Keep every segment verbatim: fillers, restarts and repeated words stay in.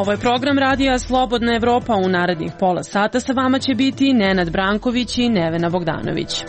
Ovo je program radija Slobodna Evropa. U narednih pola sata sa vama će biti Nenad Branković i Nevena Bogdanović.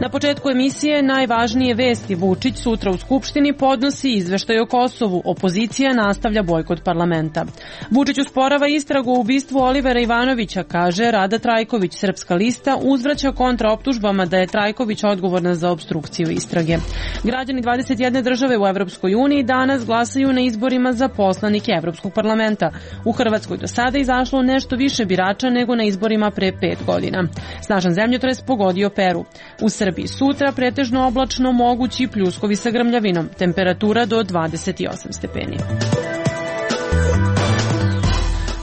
Na početku emisije najvažnije vesti. Vučić sutra u Skupštini podnosi izveštaj o Kosovu. Opozicija nastavlja bojkot parlamenta. Vučić usporava istragu o ubistvu Olivera Ivanovića, kaže Rada Trajković. Srpska lista uzvraća kontraoptužbama da je Trajković odgovorna za opstrukciju istrage. Građani dvadeset jedne države u Evropskoj uniji danas glasaju na izborima za poslanike Evropskog parlamenta. U Hrvatskoj do sada izašlo nešto više birača nego na izborima pre pet godina. Snažan zemljotres pogodio Peru. U Srbiji sutra pretežno oblačno, mogući pljuskovi sa grmljavinom. Temperatura do dvadeset osam stepeni.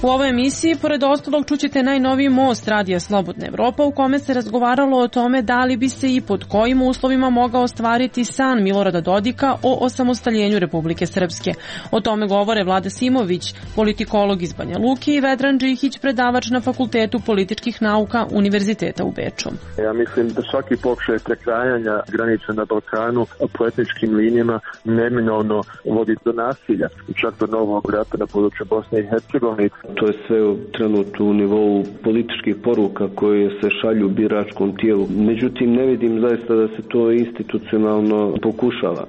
U ovoj emisiji, pored ostalog, čućete najnoviji most radija Slobodna Evropa u kome se razgovaralo o tome da li bi se i pod kojim uslovima mogao ostvariti san Milorada Dodika o osamostaljenju Republike Srpske. O tome govore Vlada Simović, politikolog iz Banja Luke, i Vedran Džihić, predavač na Fakultetu političkih nauka Univerziteta u Beču. Ja mislim da svaki pokušaj prekrajanja granica na Balkanu po etničkim linijama neminovno vodi do nasilja, čak do novog rata na području Bosne i Hercegovine. To je sve trenutno u nivou političkih poruka koje se šalju biračkom tijelu. Međutim, ne vidim zaista da se to institucionalno pokušava.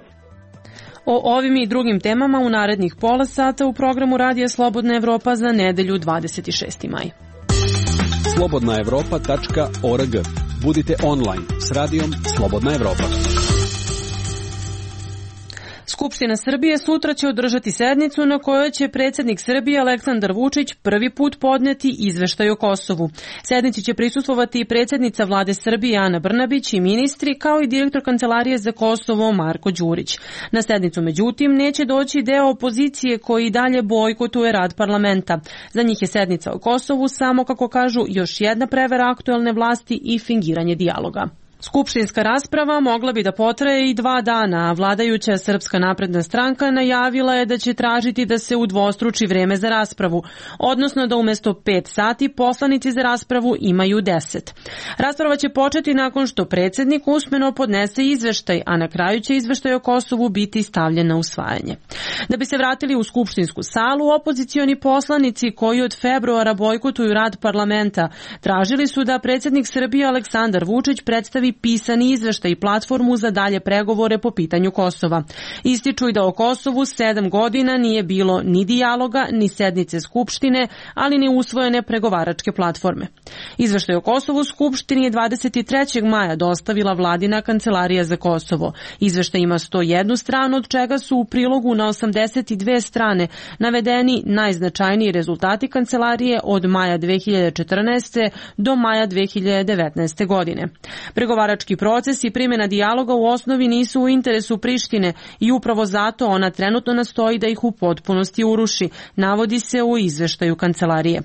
O ovim i drugim temama u narednih pola sata u programu Radija Slobodna Evropa za nedelju dvadeset šesti maj. slobodna evropa tačka org. Budite online s radijom Slobodna Evropa. Skupština Srbije sutra će održati sednicu na kojoj će predsjednik Srbije Aleksandar Vučić prvi put podneti izveštaj o Kosovu. Sednici će prisustvovati i predsjednica Vlade Srbije Ana Brnabić i ministri, kao i direktor Kancelarije za Kosovo Marko Đurić. Na sednicu, međutim, neće doći deo opozicije koji i dalje bojkotuje rad parlamenta. Za njih je sednica o Kosovu samo, kako kažu, još jedna prevara aktuelne vlasti i fingiranje dijaloga. Skupštinska rasprava mogla bi da potraje i dva dana, a vladajuća Srpska napredna stranka najavila je da će tražiti da se udvostruči vreme za raspravu, odnosno da umjesto pet sati poslanici za raspravu imaju deset. Rasprava će početi nakon što predsjednik usmeno podnese izveštaj, a na kraju će izveštaj o Kosovu biti stavljen na usvajanje. Da bi se vratili u skupštinsku salu, opozicioni poslanici koji od februara bojkotuju rad parlamenta tražili su da predsjednik Srbije Aleksandar Vučić predstavi pisani izveštaj i platformu za dalje pregovore po pitanju Kosova. Ističu i da o Kosovu sedam godina nije bilo ni dijaloga, ni sednice Skupštine, ali ni usvojene pregovaračke platforme. Izveštaj o Kosovu Skupštini je dvadeset trećeg maja dostavila Vladina Kancelarija za Kosovo. Izveštaj ima sto jednu stranu, od čega su u prilogu na osamdeset dve strane navedeni najznačajniji rezultati Kancelarije od maja dve hiljade četrnaeste. do maja dve hiljade devetnaeste. godine. Pregovarački proces i primjena dijaloga u osnovi nisu u interesu Prištine i upravo zato ona trenutno nastoji da ih u potpunosti uruši, navodi se u izveštaju Kancelarije.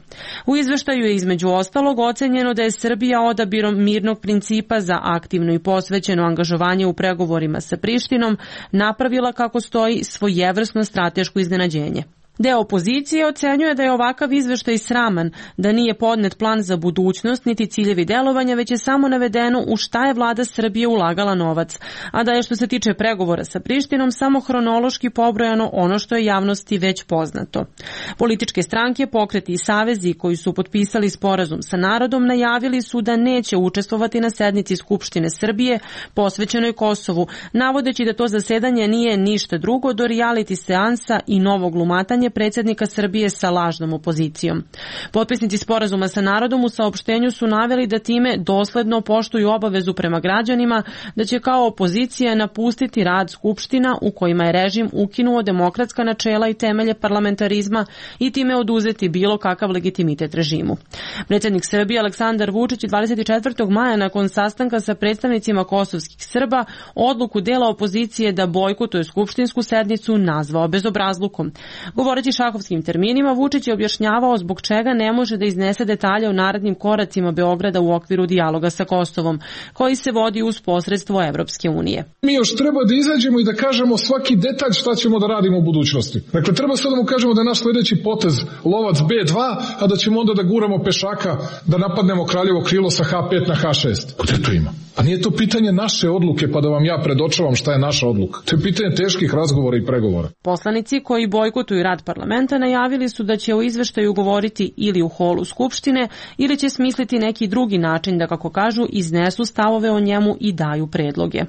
U izveštaju je između ostalog ocenjeno da je Srbija odabirom mirnog principa za aktivno i posvećeno angažovanje u pregovorima sa Prištinom napravila, kako stoji, svojevrsno strateško iznenađenje. Deo opozicije ocenjuje da je ovakav izveštaj sraman, da nije podnet plan za budućnost niti ciljevi delovanja, već je samo navedeno u šta je vlada Srbije ulagala novac, a da je, što se tiče pregovora sa Prištinom, samo hronološki pobrojano ono što je javnosti već poznato. Političke stranke, pokreti i savezi koji su potpisali sporazum sa narodom najavili su da neće učestvovati na sednici Skupštine Srbije posvećenoj Kosovu, navodeći da to zasedanje nije ništa drugo do reality seansa i novog glumatanja predsjednika Srbije sa lažnom opozicijom. Potpisnici sporazuma sa narodom u saopštenju su naveli da time dosledno poštuju obavezu prema građanima da će kao opozicija napustiti rad skupština u kojima je režim ukinuo demokratska načela i temelje parlamentarizma i time oduzeti bilo kakav legitimitet režimu. Predsjednik Srbije Aleksandar Vučić dvadeset četvrtog maja nakon sastanka sa predstavnicima kosovskih Srba odluku dela opozicije da bojkotuje skupštinsku sednicu nazvao bezobrazlukom. Govoreći šahovskim terminima, Vučić je objašnjavao zbog čega ne može da iznese detalje o narednim koracima Beograda u okviru dijaloga sa Kosovom, koji se vodi uz posredstvo Evropske unije. Mi još treba da izađemo i da kažemo svaki detalj šta ćemo da radimo u budućnosti. Dakle, treba sad da mu kažemo da je naš sljedeći potez lovac be dva, a da ćemo onda da guramo pešaka da napadnemo Kraljevo krilo sa ha pet na ha šest. Gde to ima? A nije to pitanje naše odluke pa da vam ja predočavam šta je naša odluka. To je pitanje teških razgovora i pregovora. Poslanici koji bojkotuju rad parlamenta najavili su da će o izveštaju govoriti ili u holu Skupštine ili će smisliti neki drugi način da, kako kažu, iznesu stavove o njemu i daju predloge.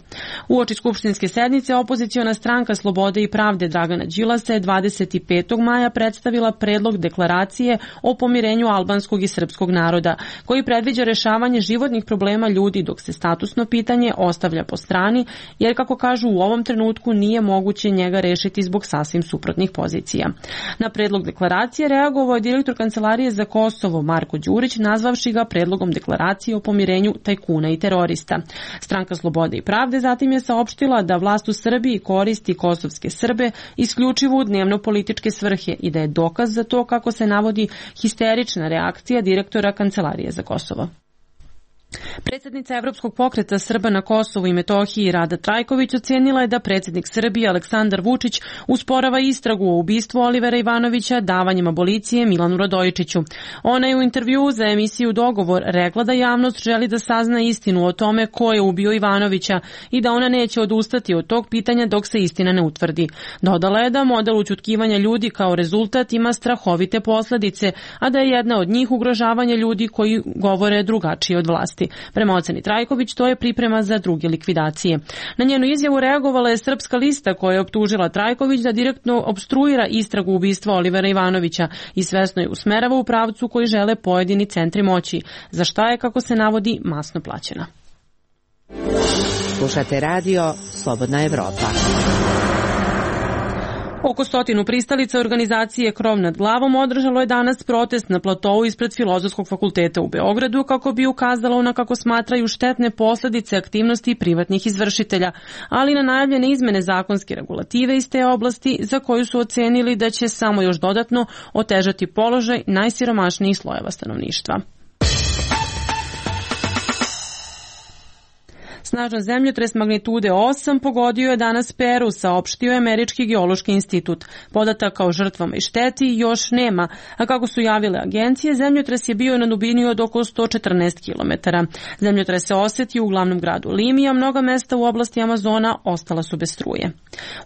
Uoči skupštinske sednice opoziciona stranka Slobode i pravde Dragana Đilasa je dvadeset petog maja predstavila predlog deklaracije o pomirenju albanskog i srpskog naroda, koji predviđa rešavanje životnih problema ljudi dok se statusno pitanje ostavlja po strani, jer, kako kažu, u ovom trenutku nije moguće njega rešiti zbog sasvim suprotnih pozicija. Na predlog deklaracije reagovao je direktor Kancelarije za Kosovo Marko Đurić, nazvavši ga predlogom deklaracije o pomirenju tajkuna i terorista. Stranka Slobode i pravde zatim je saopštila da vlast u Srbiji koristi kosovske Srbe isključivo u dnevno-političke svrhe i da je dokaz za to, kako se navodi, histerična reakcija direktora Kancelarije za Kosovo. Predsjednica Evropskog pokreta Srba na Kosovu i Metohiji Rada Trajković ocenila je da predsjednik Srbije Aleksandar Vučić usporava istragu o ubistvu Olivera Ivanovića davanjem abolicije Milanu Radojičiću. Ona je u intervjuu za emisiju Dogovor rekla da javnost želi da sazna istinu o tome ko je ubio Ivanovića i da ona neće odustati od tog pitanja dok se istina ne utvrdi. Dodala je da model ućutkivanja ljudi kao rezultat ima strahovite posledice, a da je jedna od njih ugrožavanje ljudi koji govore drugačije od vlasti. Prema oceni Trajković, to je priprema za druge likvidacije. Na njenu izjavu reagovala je Srpska lista koja je optužila Trajković da direktno opstruira istragu ubistva Olivera Ivanovića i svesno je usmerava u pravcu koji žele pojedini centri moći, za šta je, kako se navodi, masno plaćena. Slušate radio Slobodna Evropa. Oko stotinu pristalica organizacije Krov nad glavom održalo je danas protest na platovu ispred Filozofskog fakulteta u Beogradu kako bi ukazalo na, kako smatraju, štetne posledice aktivnosti privatnih izvršitelja, ali na najavljene izmene zakonske regulative iz te oblasti za koju su ocenili da će samo još dodatno otežati položaj najsiromašnijih slojeva stanovništva. Snažan zemljotres magnitude osam pogodio je danas Peru, saopštio je Američki geološki institut. Podataka o žrtvama i šteti još nema, a kako su javile agencije, zemljotres je bio na dubini od oko sto četrnaest kilometara. Zemljotres se osjetio u glavnom gradu Limi, a mnoga mesta u oblasti Amazona ostala su bez struje.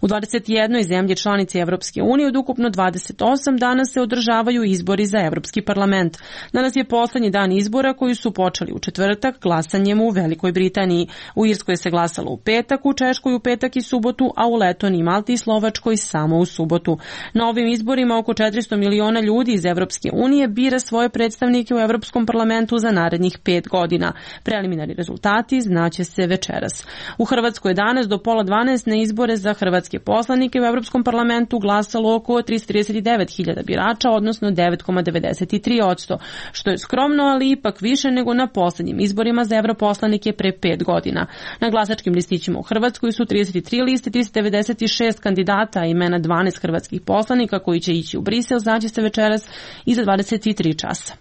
U dvadeset jednoj zemlji članici Evropske unije od ukupno dvadeset osam danas se održavaju izbori za Evropski parlament. Danas je poslednji dan izbora koji su počeli u četvrtak glasanjem u Velikoj Britaniji. U Irskoj se glasalo u petak, u Češkoj u petak i subotu, a u Letoniji, Malti i Slovačkoj samo u subotu. Na ovim izborima oko četiristo miliona ljudi iz Evropske unije bira svoje predstavnike u Evropskom parlamentu za narednih pet godina. Preliminarni rezultati znaće se večeras. U Hrvatskoj je danas do pola dvanaest na izbore za hrvatske poslanike u Evropskom parlamentu glasalo oko tristo trideset devet hiljada birača, odnosno devet zarez devedeset tri posto, što je skromno, ali ipak više nego na poslednjim izborima za evroposlanike pre pet godina. Na glasačkim listićima u Hrvatskoj su trideset tri liste, tristo devedeset šest kandidata, imena dvanaest hrvatskih poslanika koji će ići u Brisel, znaće se večeras i za dvadeset tri časa.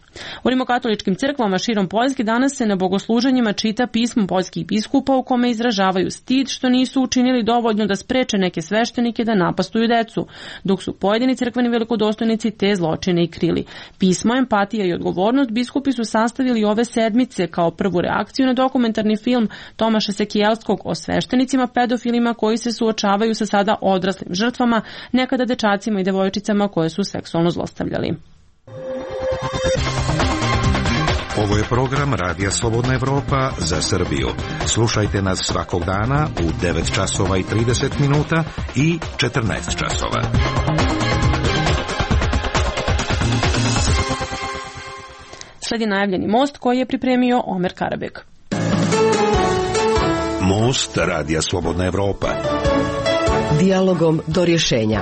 U rimokatoličkim crkvama širom Poljske danas se na bogosluženjima čita pismo poljskih biskupa u kome izražavaju stid što nisu učinili dovoljno da spreče neke sveštenike da napastuju decu, dok su pojedini crkveni velikodostojnici te zločine i krili. Pismo, empatija i odgovornost biskupi su sastavili ove sedmice kao prvu reakciju na dokumentarni film Tomaša Sekijelskog o sveštenicima pedofilima koji se suočavaju sa sada odraslim žrtvama, nekada dečacima i devojčicama koje su seksualno zlostavljali. Ovo je program Radija Slobodna Evropa za Srbiju. Slušajte nas svakog dana u devet časova i trideset minuta i četrnaest časova. Sledi najavljeni most koji je pripremio Omer Karabek. Most Radija Slobodna Evropa. Dijalogom do rješenja.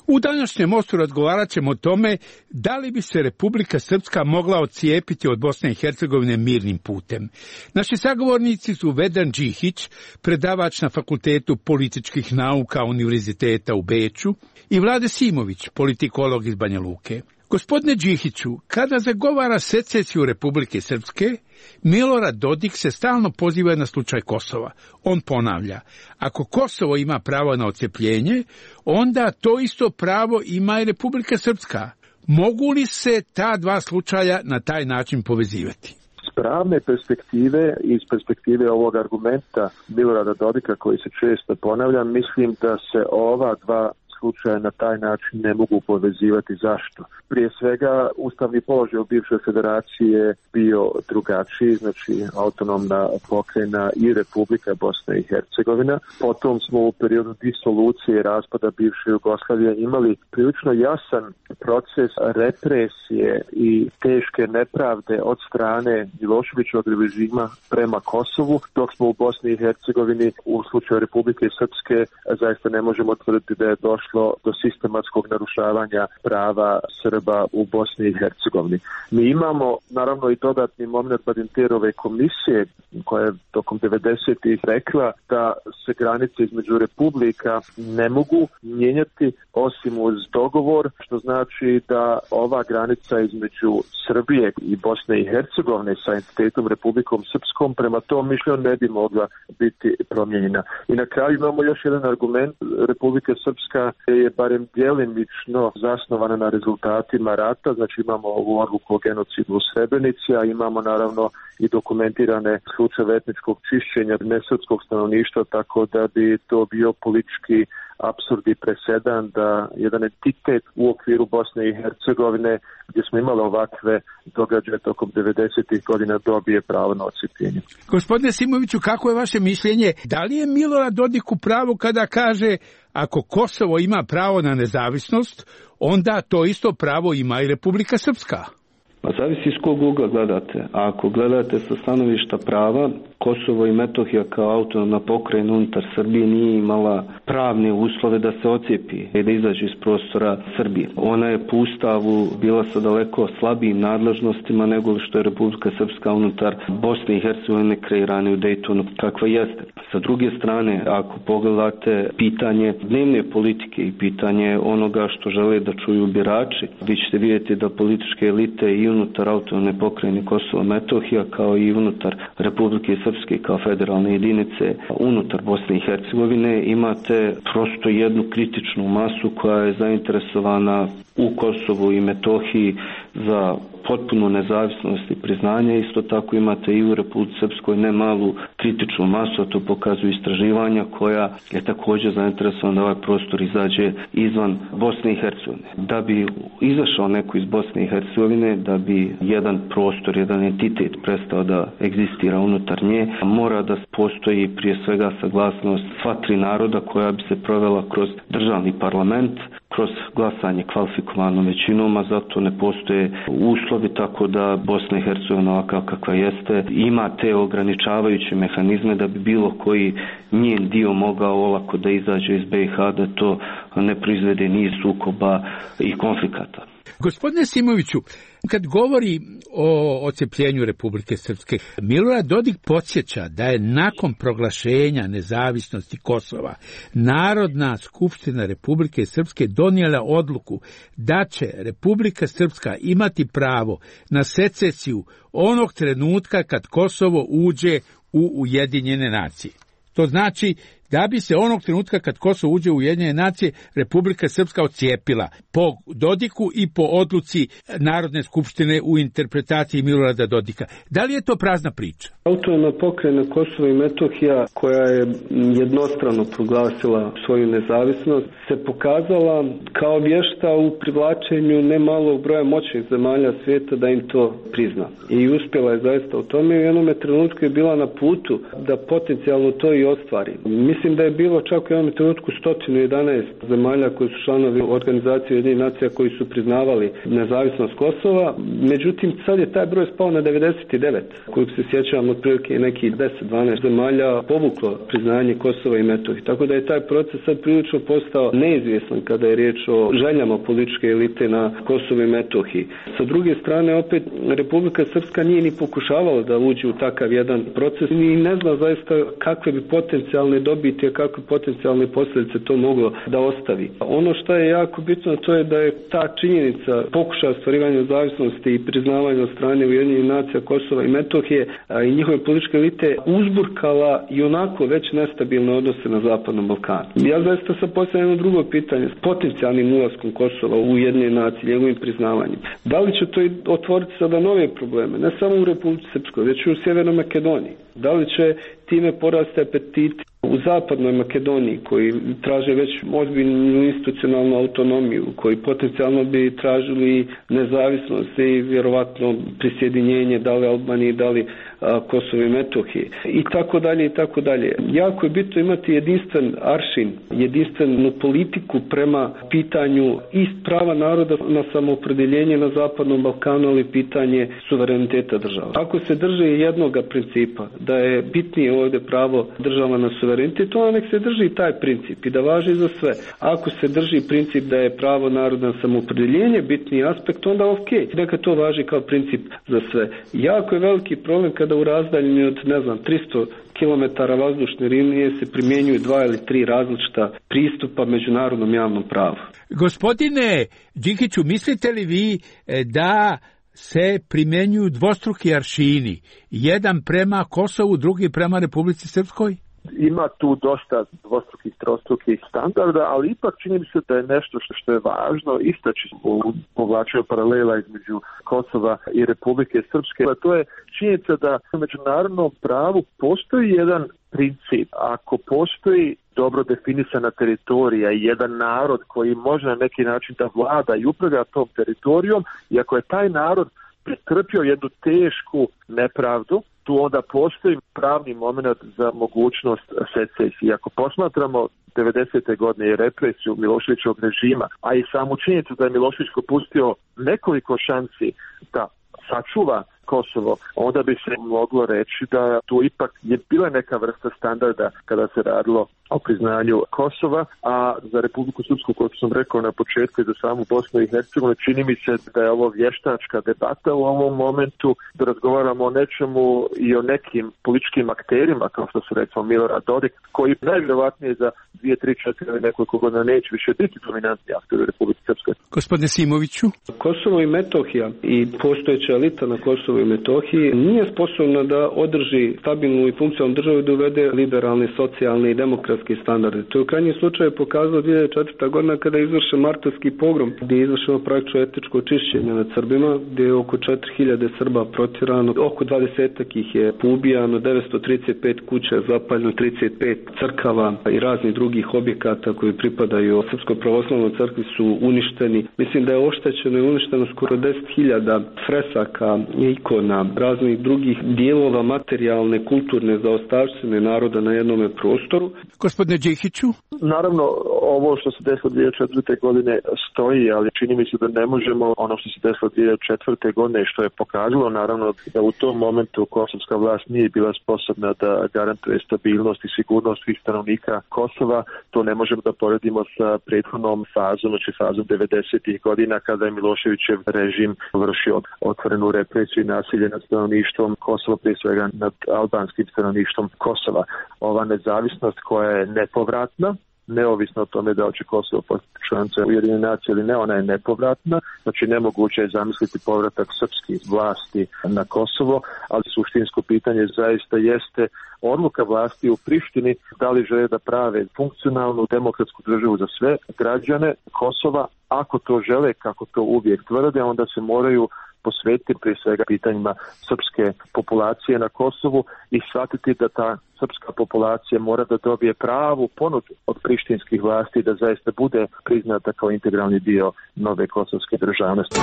U današnjem mostu razgovarat ćemo o tome da li bi se Republika Srpska mogla odcijepiti od Bosne i Hercegovine mirnim putem. Naši sagovornici su Vedran Džihić, predavač na Fakultetu političkih nauka Univerziteta u Beču, i Vlade Simović, politikolog iz Banja Luke. Gospodine Džihiću, kada zagovara secesiju Republike Srpske, Milorad Dodik se stalno poziva na slučaj Kosova. On ponavlja, ako Kosovo ima pravo na odcepljenje, onda to isto pravo ima i Republika Srpska. Mogu li se ta dva slučaja na taj način povezivati? pravne perspektive i iz perspektive ovog argumenta Milorada Dodika koji se često ponavlja, mislim da se ova dva slučaja na taj način ne mogu povezivati. Zašto? Prije svega, ustavni položaj u bivšoj federaciji je bio drugačiji, znači autonomna pokrajina i Republika Bosna i Hercegovina. Potom smo u periodu disolucije i raspada bivše Jugoslavije imali prilično jasan proces represije i teške nepravde od strane Miloševićevog režima prema Kosovu, dok smo u Bosni i Hercegovini u slučaju Republike Srpske zaista ne možemo tvrditi da je došlo do sistematskog narušavanja prava Srba u Bosni i Hercegovini. Mi imamo naravno i dodatni moment Badinterove komisije koja je tokom devedesetih rekla da se granice između republika ne mogu mijenjati osim uz dogovor, što znači da ova granica između Srbije i Bosne i Hercegovine sa entitetom Republikom Srpskom prema tom mišljenju ne bi mogla biti promijenjena. I na kraju imamo još jedan argument. Republika Srpska je barem djelimično zasnovana na rezultatima rata, znači imamo ovu odluku o genocidu u Srebrenici, a imamo naravno i dokumentirane slučajeve etničkog čišćenja nesrpskog stanovništva, tako da bi to bio politički apsurd i presedan da jedan entitet u okviru Bosne i Hercegovine gdje smo imali ovakve događaje tokom devedesetih godina dobije pravo na odcijepljenje. Gospodine Simoviću, kako je vaše mišljenje? Da li je Milorad Dodik u pravu kada kaže ako Kosovo ima pravo na nezavisnost, onda to isto pravo ima i Republika Srpska? Pa zavisi iz kog ugla gledate. A ako gledate sa stanovišta prava, Kosovo i Metohija kao autonomna pokrajina unutar Srbije nije imala pravne uslove da se ocijepi i da izađe iz prostora Srbije. Ona je po ustavu bila sa daleko slabijim nadležnostima nego što je Republika Srpska unutar Bosne i Hercegovine kreirana u Dejtonu kakva jeste. Sa druge strane, ako pogledate pitanje dnevne politike i pitanje onoga što žele da čuju birači, vi ćete vidjeti da političke elite i unutar autonomne pokrajine Kosovo i Metohija kao i unutar Republike Srpske kao federalne jedinice unutar Bosne i Hercegovine imate prosto jednu kritičnu masu koja je zainteresovana u Kosovu i Metohiji za potpunu nezavisnost i priznanje. Isto tako imate i u Republici Srpskoj ne malu kritičnu masu, a to pokazuju istraživanja koja je također zainteresovana da ovaj prostor izađe izvan Bosne i Hercegovine. Da bi izašao neko iz Bosne i Hercegovine, da bi jedan prostor, jedan entitet prestao da egzistira unutar nje, mora da postoji prije svega saglasnost sva tri naroda koja bi se provela kroz državni parlament, kroz glasanje kvalifikovanom većinom, a zato ne postoje uslovi, tako da Bosna i Hercegovina ovakav kakva jeste ima te ograničavajuće mehanizme da bi bilo koji njen dio mogao olako da izađe iz be i ha, da to ne proizvede niz sukoba i konflikata. Gospodine Simoviću, kad govori o odcepljenju Republike Srpske, Milorad Dodik podsjeća da je nakon proglašenja nezavisnosti Kosova Narodna skupština Republike Srpske donijela odluku da će Republika Srpska imati pravo na secesiju onog trenutka kad Kosovo uđe u Ujedinjene nacije. To znači da bi se onog trenutka kad Kosovo uđe u Ujedinjene nacije Republika Srpska odcijepila po Dodiku i po odluci Narodne skupštine u interpretaciji Milorada Dodika. Da li je to prazna priča? Autonomna pokrajina Kosovo i Metohija, koja je jednostrano proglasila svoju nezavisnost, se pokazala kao vješta u privlačenju nemalog broja moćnih zemalja svijeta da im to prizna. I uspjela je zaista u tome i u jednom trenutku je bila na putu da potencijalno to i ostvari. Mislim da je bilo čak u jednom trenutku sto jedanaest zemalja koji su članovi organizacije Ujedinjenih nacija koji su priznavali nezavisnost Kosova. Međutim, sad je taj broj spao na devedeset devet, kojeg se sjećam otprilike nekih deset dvanaest zemalja povuklo priznanje Kosova i Metohije. Tako da je taj proces sad prilično postao neizvjestan kada je riječ o željama političke elite na Kosovu i Metohiji. Sa druge strane, opet, Republika Srpska nije ni pokušavala da uđe u takav jedan proces i ne zna zaista kakve bi potencijalne dobiti vidite kakve potencijalne posljedice to moglo da ostavi. Ono što je jako bitno, to je da je ta činjenica pokušaja ostvarivanja nezavisnosti i priznavanja od strane Ujedinjenih nacija Kosova i Metohije a, i njihove političke elite uzburkala i onako već nestabilne odnose na Zapadnom Balkanu. Ja zaista sam postavljam jedno drugo pitanje s potencijalnim ulaskom Kosova u Ujedinjene nacije, njegovim priznavanjem. Da li će to otvoriti sada nove probleme, ne samo u Republici Srpskoj, već i u Sjevernoj Makedoniji? Da li će time porasti apetit u Zapadnoj Makedoniji, koji traže već ozbiljnu institucionalnu autonomiju, koji potencijalno bi tražili nezavisnost i vjerovatno prisjedinjenje da li Albanije, da li a, Kosovo i Metohije i tako dalje i tako dalje. Jako je bitno imati jedinstven aršin, jedinstvenu politiku prema pitanju i prava naroda na samoopredeljenje na Zapadnom Balkanu, ali pitanje suvereniteta država. Ako se drže jednog principa, da je bitnije ovdje pravo država na suverenitet, onda nek se drži taj princip i da važi za sve. Ako se drži princip da je pravo naroda na samoopredeljenje bitni aspekt, onda ok, neka to važi kao princip za sve. Jako je veliki problem kada u razdaljini od, ne znam, tristo kilometara vazdušne linije se primjenjuju dva ili tri različita pristupa međunarodnom javnom pravu. Gospodine Đikiću, mislite li vi da se primjenjuju dvostruki aršini, jedan prema Kosovu, drugi prema Republici Srpskoj? Ima tu dosta dvostrukih, trostrukih standarda, ali ipak čini mi se da je nešto što, što je važno istaći u povlačenju paralela između Kosova i Republike Srpske. A to je činjenica da u međunarodnom pravu postoji jedan princip. Ako postoji dobro definisana teritorija i jedan narod koji može na neki način da vlada i upravlja tom teritorijom, i ako je taj narod pretrpio jednu tešku nepravdu, tu onda postoji pravni moment za mogućnost secesije. Ako posmatramo devedesete godine i represiju Miloševićevog režima, a i samu činjenicu da je Milošević propustio nekoliko šansi da sačuva Kosovo, onda bi se moglo reći da tu ipak je bila neka vrsta standarda kada se radilo o priznanju Kosova, a za Republiku Srpsku, kako sam rekao na početku, i za samu Bosnu i Hercegovinu, čini mi se da je ovo vještačka debata u ovom momentu, da razgovaramo o nečemu i o nekim političkim akterima, kao što se recimo Milorad Dodik, koji najvjerovatnije za dvije, tri, četiri nekoliko godina neće više biti dominantni akter u Republici Srpskoj. Gospodine Simoviću? Kosovo i Metohija i postojeća elita na Kosovo i Metohiji nije sposobna da održi stabilnu i funkcionalnu državu i da uvede liberalne, socijalne i demokratske standarde. To je u krajnjem slučaju pokazalo dvije hiljade četvrta godina kada je izvršen martovski pogrom, gdje je izvršeno praktično etničko čišćenje nad Srbima, gdje je oko četiri hiljade Srba protjerano, oko dvadesetak ih je poubijano, devetsto trideset pet kuća je zapaljeno, trideset pet crkava i raznih drugih objekata koji pripadaju Srpskoj pravoslavnoj crkvi su uništeni. Mislim da je oštećeno i uništeno skoro deset hiljada fresaka, ikona, raznih drugih dijelova materijalne, kulturne zaostavštine naroda na jednome prostoru. Gospodine Đikiću? Naravno, ovo što se desilo dvije hiljade četvrte godine stoji, ali čini mi se da ne možemo ono što se desilo dvije hiljade četvrte godine, što je pokazalo naravno da u tom momentu kosovska vlast nije bila sposobna da garantuje stabilnost i sigurnost svih stanovnika Kosova. To ne možemo da poredimo sa prethodnom fazom, znači fazom devedesetih godina, kada je Miloševićev režim vršio otvorenu represiju i nasilje nad stanovništvom Kosova, prije svega nad albanskim stanovništvom Kosova. Ova nezavisnost koja je nepovratna, neovisno o tome da će Kosovo postati članica Ujedinjenih nacija ili ne, ona je nepovratna, znači nemoguće je zamisliti povratak srpskih vlasti na Kosovo, ali suštinsko pitanje zaista jeste odluka vlasti u Prištini da li žele da prave funkcionalnu demokratsku državu za sve građane Kosova. Ako to žele, kako to uvijek tvrde, onda se moraju posvetiti prije svega pitanjima srpske populacije na Kosovu i shvatiti da ta srpska populacija mora da dobije pravu ponudu od prištinskih vlasti da zaista bude priznata kao integralni dio nove kosovske državnosti.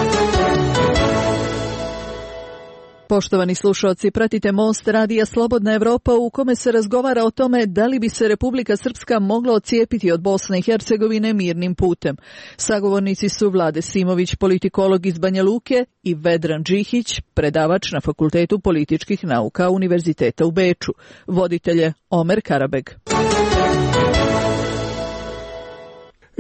Poštovani slušalci, pratite Most radija Slobodna Evropa u kome se razgovara o tome da li bi se Republika Srpska mogla odcijepiti od Bosne i Hercegovine mirnim putem. Sagovornici su Vlade Simović, politikolog iz Banja Luke, i Vedran Đikić, predavač na Fakultetu političkih nauka Univerziteta u Beču. Voditelj je Omer Karabeg.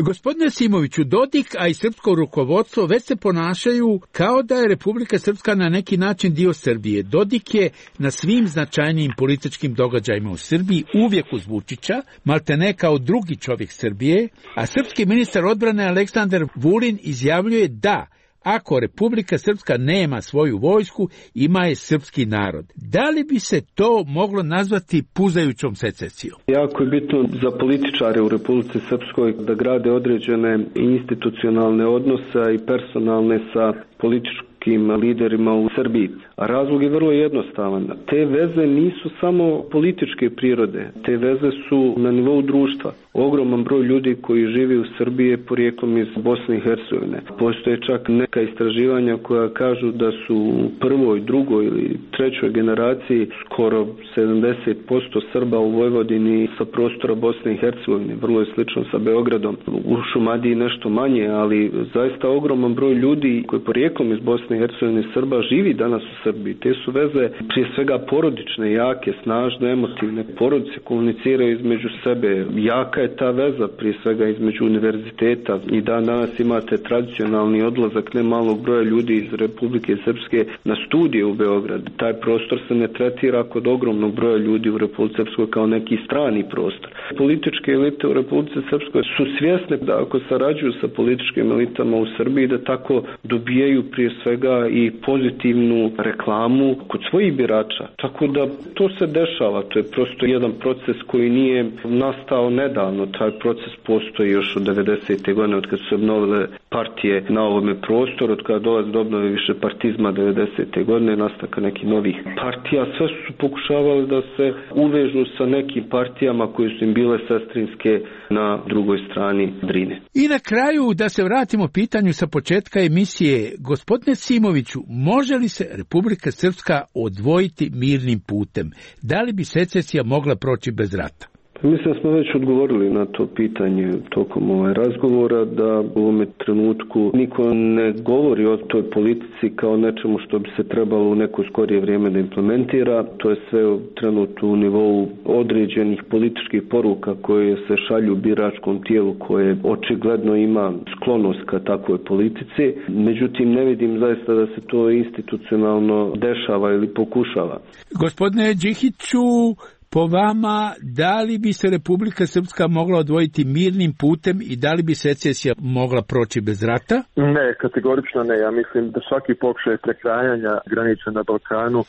Gospodine Simoviću, Dodik, a i srpsko rukovodstvo već se ponašaju kao da je Republika Srpska na neki način dio Srbije. Dodik je na svim značajnijim političkim događajima u Srbiji uvijek uz Vučića, maltene kao drugi čovjek Srbije, a srpski ministar odbrane Aleksandar Vulin izjavljuje da ako Republika Srpska nema svoju vojsku, ima je srpski narod. Da li bi se to moglo nazvati puzajućom secesijom? Jako je bitno za političare u Republici Srpskoj da grade određene institucionalne odnose i personalne sa političkim liderima u Srbiji. A razlog je vrlo jednostavan. Te veze nisu samo političke prirode. Te veze su na nivou društva. Ogroman broj ljudi koji živi u Srbiji je porijeklom iz Bosne i Hercegovine. Postoje čak neka istraživanja koja kažu da su u prvoj, drugoj ili trećoj generaciji skoro sedamdeset posto Srba u Vojvodini sa prostora Bosne i Hercegovine. Vrlo je slično sa Beogradom. U Šumadiji nešto manje, ali zaista ogroman broj ljudi koji porijeklom iz Bosne i Hercegovine Srba živi danas u Srbiji. Te su veze prije svega porodične, jake, snažne, emotivne. Porodice komuniciraju između sebe. Jaka je ta veza prije svega između univerziteta i dan danas imate tradicionalni odlazak ne malog broja ljudi iz Republike Srpske na studije u Beograd. Taj prostor se ne tretira kod ogromnog broja ljudi u Republici Srpskoj kao neki strani prostor. Političke elite u Republici Srpskoj su svjesne da ako sarađuju sa političkim elitama u Srbiji da tako dobijaju prije svega i pozitivnu reklamu kod svojih birača. Tako da to se dešava, to je prosto jedan proces koji nije nastao nedavno. Taj proces postoji još od devedesete godine od kad su se obnovile partije na ovome prostoru, od kada dolazi do obnove više partizma devedesete godine, nastanka nekih novih partija. Sve su pokušavali da se uvežu sa nekim partijama koje su im bile sestrinske na drugoj strani Drine. I na kraju da se vratimo pitanju sa početka emisije. Gospodine Simoviću, može li se Republika Srpska odvojiti mirnim putem? Da li bi secesija mogla proći bez rata? Mislim da smo već odgovorili na to pitanje tokom ovaj razgovora, da u ovome trenutku niko ne govori o toj politici kao nečemu što bi se trebalo u neko skorije vrijeme da implementira. To je sve trenutno u nivou određenih političkih poruka koje se šalju biračkom tijelu koje očigledno ima sklonost ka takvoj politici. Međutim, ne vidim zaista da se to institucionalno dešava ili pokušava. Gospodine Đihiću, po vama, da li bi se Republika Srpska mogla odvojiti mirnim putem i da li bi secesija mogla proći bez rata? Ne, kategorično ne. Ja mislim da svaki pokušaj prekrajanja granica na Balkanu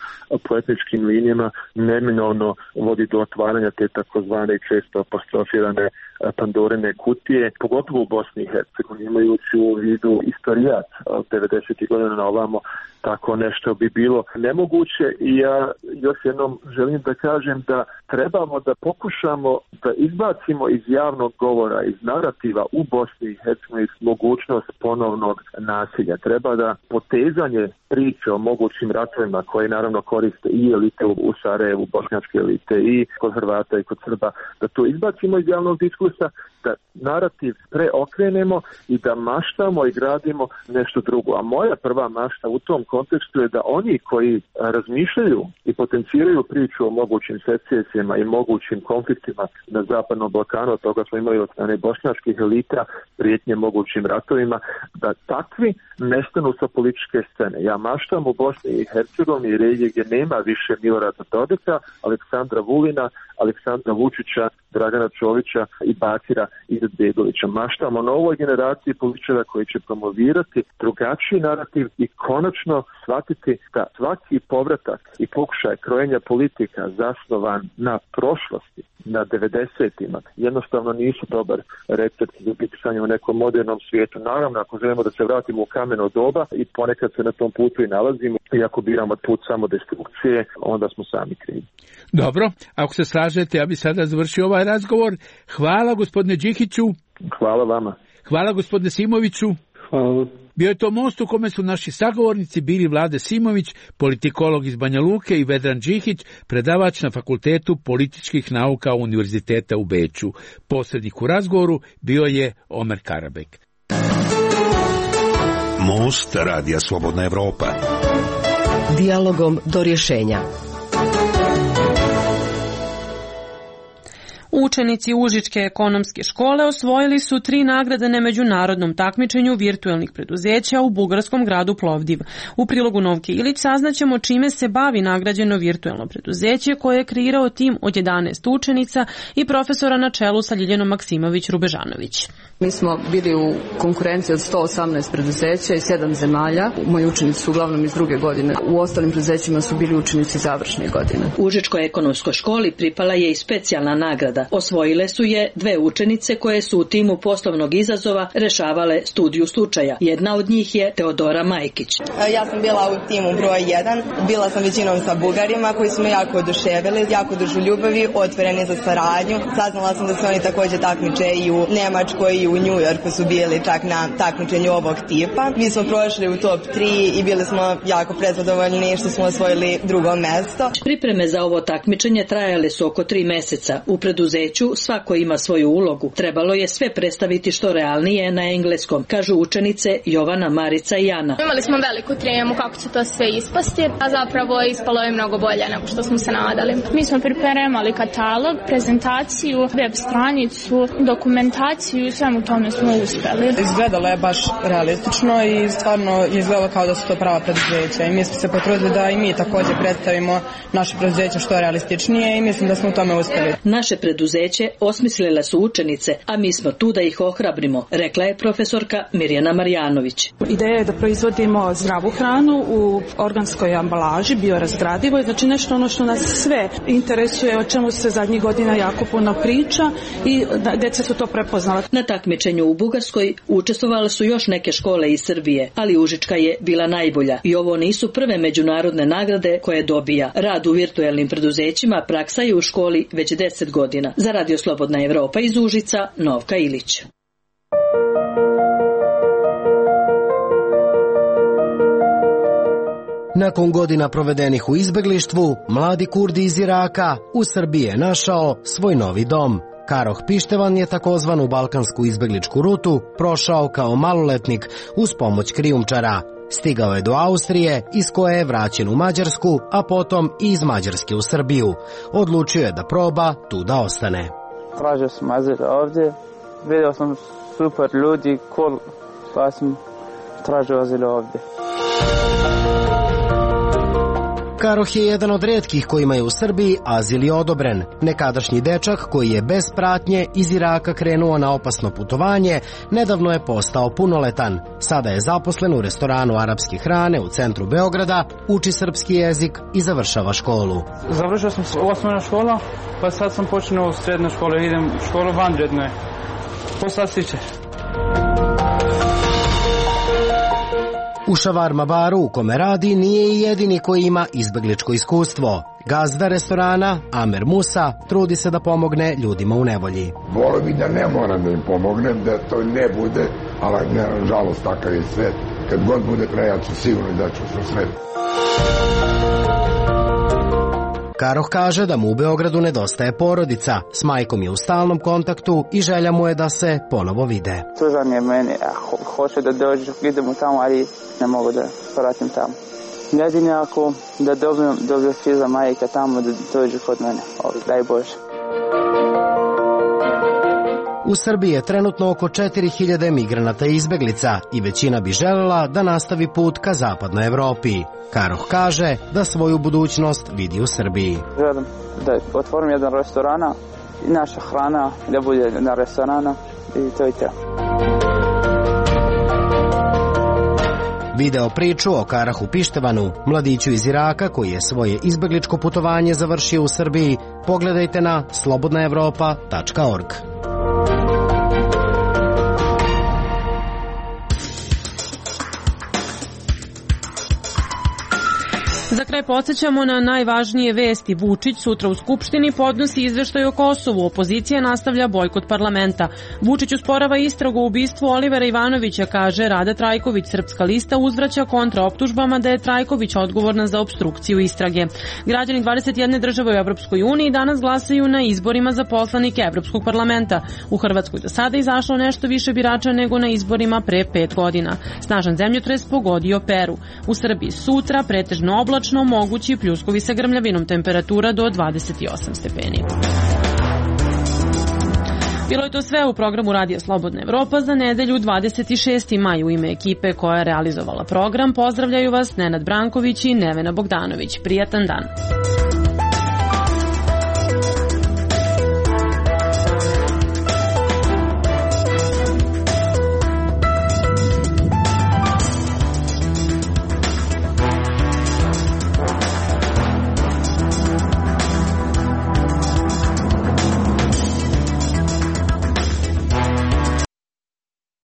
po etničkim linijama neminovno vodi do otvaranja te takozvane često apostrofirane Pandorine kutije, pogotovo u Bosni i Hercegovini, imajući u vidu istorijat od devedesetih godina na ovamo, tako nešto bi bilo nemoguće i ja još jednom želim da kažem da trebamo da pokušamo da izbacimo iz javnog govora, iz narativa u Bosni i Hercegovini mogućnost ponovnog nasilja. Treba da potezanje priče o mogućim ratovima koje naravno koriste i elite u Sarajevu, bošnjačke elite i kod Hrvata i kod Srba, da to izbacimo iz javnog diskursa, da narativ preokrenemo i da maštamo i gradimo nešto drugo. A moja prva mašta u tom kontekstu je da oni koji razmišljaju i potenciraju priču o mogućim secesijama i mogućim konfliktima na Zapadnom Balkanu, od toga smo imali od strane bošnjačkih elita, prijetnje mogućim ratovima, da takvi nestanu sa političke scene. Ja maštam u Bosni i Hercegovini i regiji gdje nema više Milorada Dodika, Aleksandra Vulina, Aleksandra Vučića, Dragana Čovića i Bakira Izetbegovića. Maštamo o novoj generaciji političara koji će promovirati drugačiji narativ i konačno shvatiti da svaki povratak i pokušaj krojenja politika zasnovan na prošlosti, na devedesetima, jednostavno nisu dobar recept za bitisanje u nekom modernom svijetu. Naravno, ako želimo da se vratimo u kameno doba i ponekad se na tom putu i nalazimo, i ako biramo put samo destrukcije, onda smo sami krivi. Dobro, ako se slažete, ja bih sada završio ovaj razgovor. Hvala gospodine Đihiću. Hvala vama. Hvala gospodine Simoviću. Hvala. Bio je to most u kome su naši sagovornici bili Vlade Simović, politikolog iz Banja Luke, i Vedran Đihić, predavač na Fakultetu političkih nauka Univerziteta u Beču. Posrednik u razgovoru bio je Omer Karabek. Most Radija Slobodna Evropa. Dijalogom do rješenja. U Učenici Užičke ekonomske škole osvojili su tri nagrade na međunarodnom takmičenju virtuelnih preduzeća u bugarskom gradu Plovdiv. U prilogu Novke Ilić saznaćemo čime se bavi nagrađeno virtuelno preduzeće koje je kreirao tim od jedanaest učenica i profesora na čelu sa Ljiljanom Maksimović-Rubežanović. Mi smo bili u konkurenciji od sto osamnaest preduzeća iz sedam zemalja. Moji učenici su uglavnom iz druge godine. U ostalim preduzećima su bili učenici završne godine. U Užičkoj ekonomskoj školi pripala je i specijalna nagrada. Osvojile su je dve učenice koje su u timu poslovnog izazova rešavale studiju slučaja. Jedna od njih je Teodora Majkić. Ja sam bila u timu broj jedan. Bila sam većinom sa Bugarima koji su me jako oduševili, jako družoljubivi, otvoreni za saradnju. Saznala sam da se oni također takmiče i u Nemačkoj i u New Yorku su bili čak na takmičenju ovog tipa. Mi smo prošli u top tri i bili smo jako prezadovoljni što smo osvojili drugo mesto. Pripreme za ovo takmičenje trajale su oko tri meseca. U preduzeću svako ima svoju ulogu. Trebalo je sve predstaviti što realnije na engleskom, kažu učenice Jovana, Marica i Ana. Imali smo veliku tremu kako će to sve ispasti, a zapravo ispalo je mnogo bolje nego što smo se nadali. Mi smo pripremali katalog, prezentaciju, web stranicu, dokumentaciju i svemu tome smo uspeli. Izgledalo je baš realistično i stvarno izgledalo kao da su to prava preduzeća i mi smo se potrudili da i mi također predstavimo naše preduzeće što je realističnije i mislim da smo u tome uspeli. Naše preduzeće osmislile su učenice, a mi smo tu da ih ohrabrimo, rekla je profesorka Mirjana Marjanović. Ideja je da proizvodimo zdravu hranu u organskoj ambalaži, biorazgradivoj, znači nešto ono što nas sve interesuje, o čemu se zadnjih godina jako puno priča i deca su to prepoznala. Na takmičenju u Bugarskoj učestvovale su još neke škole iz Srbije, ali Užička je bila najbolja i ovo nisu prve međunarodne nagrade koje dobija. Rad u virtuelnim preduzećima praksa je u školi već deset godina. Za Radio Slobodna Evropa iz Užica, Novka Ilić. Nakon godina provedenih u izbeglištvu, mladi Kurdi iz Iraka u Srbiji je našao svoj novi dom. Karoh Pištevan je takozvanu balkansku izbegličku rutu prošao kao maloletnik uz pomoć krijumčara. Stigao je do Austrije, iz koje je vraćen u Mađarsku, a potom i iz Mađarske u Srbiju. Odlučio je da proba tu da ostane. Tražio sam azil ovdje, vidio sam super ljudi, cool, pa sam tražio azil ovdje. Karoh je jedan od retkih kojima je u Srbiji azil je odobren. Nekadašnji dečak koji je bez pratnje iz Iraka krenuo na opasno putovanje, nedavno je postao punoletan. Sada je zaposlen u restoranu arapske hrane u centru Beograda, uči srpski jezik i završava školu. Završio sam osnovna škola, pa sad sam počeo u srednju školu, idem u školu vanredno je. Poslastičar. U šavarma baru u kome radi nije i jedini koji ima izbegličko iskustvo. Gazda restorana, Amer Musa, trudi se da pomogne ljudima u nevolji. Volio bi da ne moram da im pomognem, da to ne bude, ali ne, žalost takav je svet. Kad god bude kraj, ja ću sigurno da ću se svet. Karoh kaže da mu u Beogradu nedostaje porodica, s majkom je u stalnom kontaktu i želja mu je da se ponovo vide. Suzan je meni, ho, hoće da dođu, idemo tamo, ali ne mogu da vratim tamo. Jedini ako da dobijem, dobijem fiza majka tamo da dođu kod mene, ovdje, daj Bože. U Srbiji je trenutno oko četiri hiljade migranata i izbeglica i većina bi željela da nastavi put ka zapadnoj Evropi. Karoh kaže da svoju budućnost vidi u Srbiji. Želim da otvorim jedan restorana i naša hrana da bude na restorana i to je to. Video priču o Karahu Pištevanu, mladiću iz Iraka koji je svoje izbegličko putovanje završio u Srbiji, pogledajte na slobodna evropa tačka org. Za kraj podsjećamo na najvažnije vesti. Vučić sutra u Skupštini podnosi izveštaj o Kosovu. Opozicija nastavlja bojkot parlamenta. Vučić usporava istragu o ubistvu Olivera Ivanovića, kaže Rada Trajković. Srpska lista uzvraća kontra optužbama da je Trajković odgovorna za opstrukciju istrage. Građani dvadeset jedne države u Evropskoj uniji danas glasaju na izborima za poslanike Evropskog parlamenta. U Hrvatskoj do sada izašlo nešto više birača nego na izborima pre pet godina. Snažan zemljotres pogodio Peru. U Srbiji sutra pretežno oblačno, mogući pljuskovi sa grmljavinom, temperatura do dvadeset osam stepeni. Bilo je to sve u programu Radija Slobodna Evropa za nedelju dvadeset šesti maj. U ime ekipe koja je realizovala program pozdravljaju vas Nenad Branković i Nevena Bogdanović. Prijatan dan.